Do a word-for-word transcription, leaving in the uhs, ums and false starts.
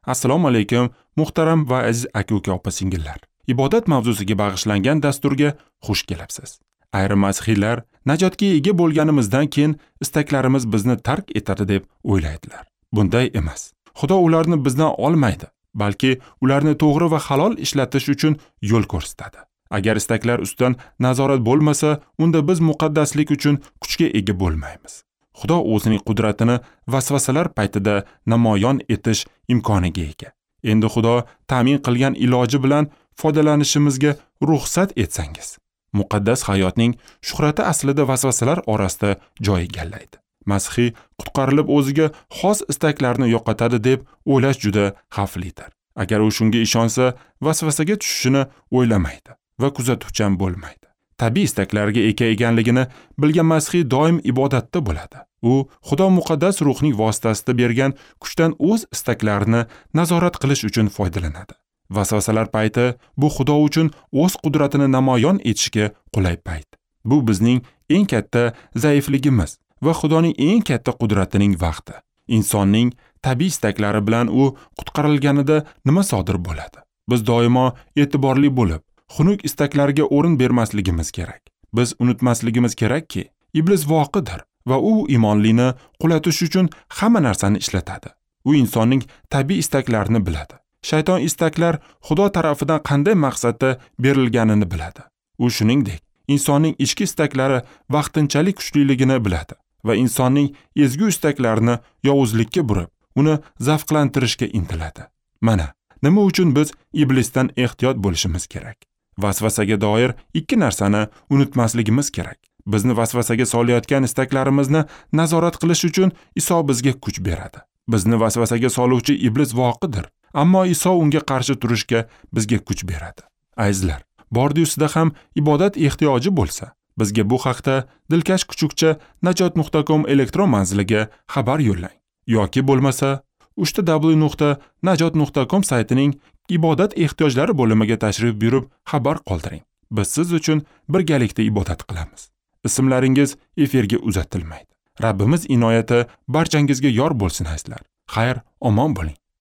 Assalomu alaykum, muhtaram va aziz aka-uka, opa-singillar. Ibodat mavzusiga bag'ishlangan dasturga xush kelibsiz. Ayrim masihiylar najotga ega bo'lganimizdan keyin istaklarimiz bizni tark etadi deb o'ylaydilar. Bunday emas. Xudo ularni bizdan olmaydi, balki ularni to'g'ri va halol ishlatish uchun yo'l ko'rsatadi. Agar istaklar ustidan nazorat bo'lmasa, unda biz muqaddaslik uchun kuchga ega bo'lmaymiz. Xudo o'zining qudratini vasvasalar paytida namoyon etish imkoniga ega. Endi Xudo ta'min qilgan iloji bilan foydalanishimizga ruxsat etsangiz, muqaddas hayotning shuhrati aslida vasvasalar orasida joy egallaydi. Masihiy qutqarilib o'ziga xos istaklarni yo'qotadi deb o'ylash juda xavflidir. Agar u shunga ishonsa, vasvasaga tushishini o'ylamaydi va kuzatuvchan bo'lmaydi. Tabiiy istaklarga ega ekanligini bilgan masihiy doim ibodatda bo'ladi. U Xudo muqaddas ruhning vositasida bergan kuchdan o'z istaklarini nazorat qilish uchun foydalanadi. Vasvasalar payti bu Xudo uchun o'z qudratini namoyon etishga qulay payt. Bu bizning eng katta zaifligimiz va Xudoning eng katta qudratining vaqti. Insonning tabiiy istaklari bilan u qutqarilganida nima sodir bo'ladi? Biz doimo e'tiborli bo'lib, xunuk istaklarga o'rin bermasligimiz kerak. Biz unutmasligimiz kerakki, iblis voqidir va u imonlini qulatish uchun hamma narsani ishlatadi. U insonning tabiiy istaklarini biladi. Shayton istaklar Xudo tarafidan qanday maqsadda berilganini biladi. U shuningdek, insonning ichki istaklari vaqtinchalik kuchliligini biladi va insonning ezgu istaklarini yovuzlikka burib, uni zavqlantirishga intiladi. Mana, nima uchun biz iblisdan ehtiyot bo'lishimiz kerak? Vasvasaga doir ikki narsani unutmasligimiz kerak. Bizni vasvasaga solayotgan istaklarimizni nazorat qilish uchun Iso bizga kuch beradi. Bizni vasvasaga soluvchi iblis voqidir, ammo Iso unga qarshi turishga bizga kuch beradi. Azizlar, bordi-ustida ham ibodat ehtiyoji bo'lsa, bizga bu haqda dilkash kuchukcha najot nuqta com elektron manziliga xabar yo'llang yoki bo'lmasa uchta w nuqta najot nuqta com saytining ibodat ehtiyojlari bo'limiga tashrif buyurib xabar qoldiring. Biz siz uchun birgalikda ibodat qilamiz. Ismlaringiz efirga uzatilmaydi. Rabbimiz inoyati barchangizga yor bo'lsin azizlar. Xayr, omon bo'ling.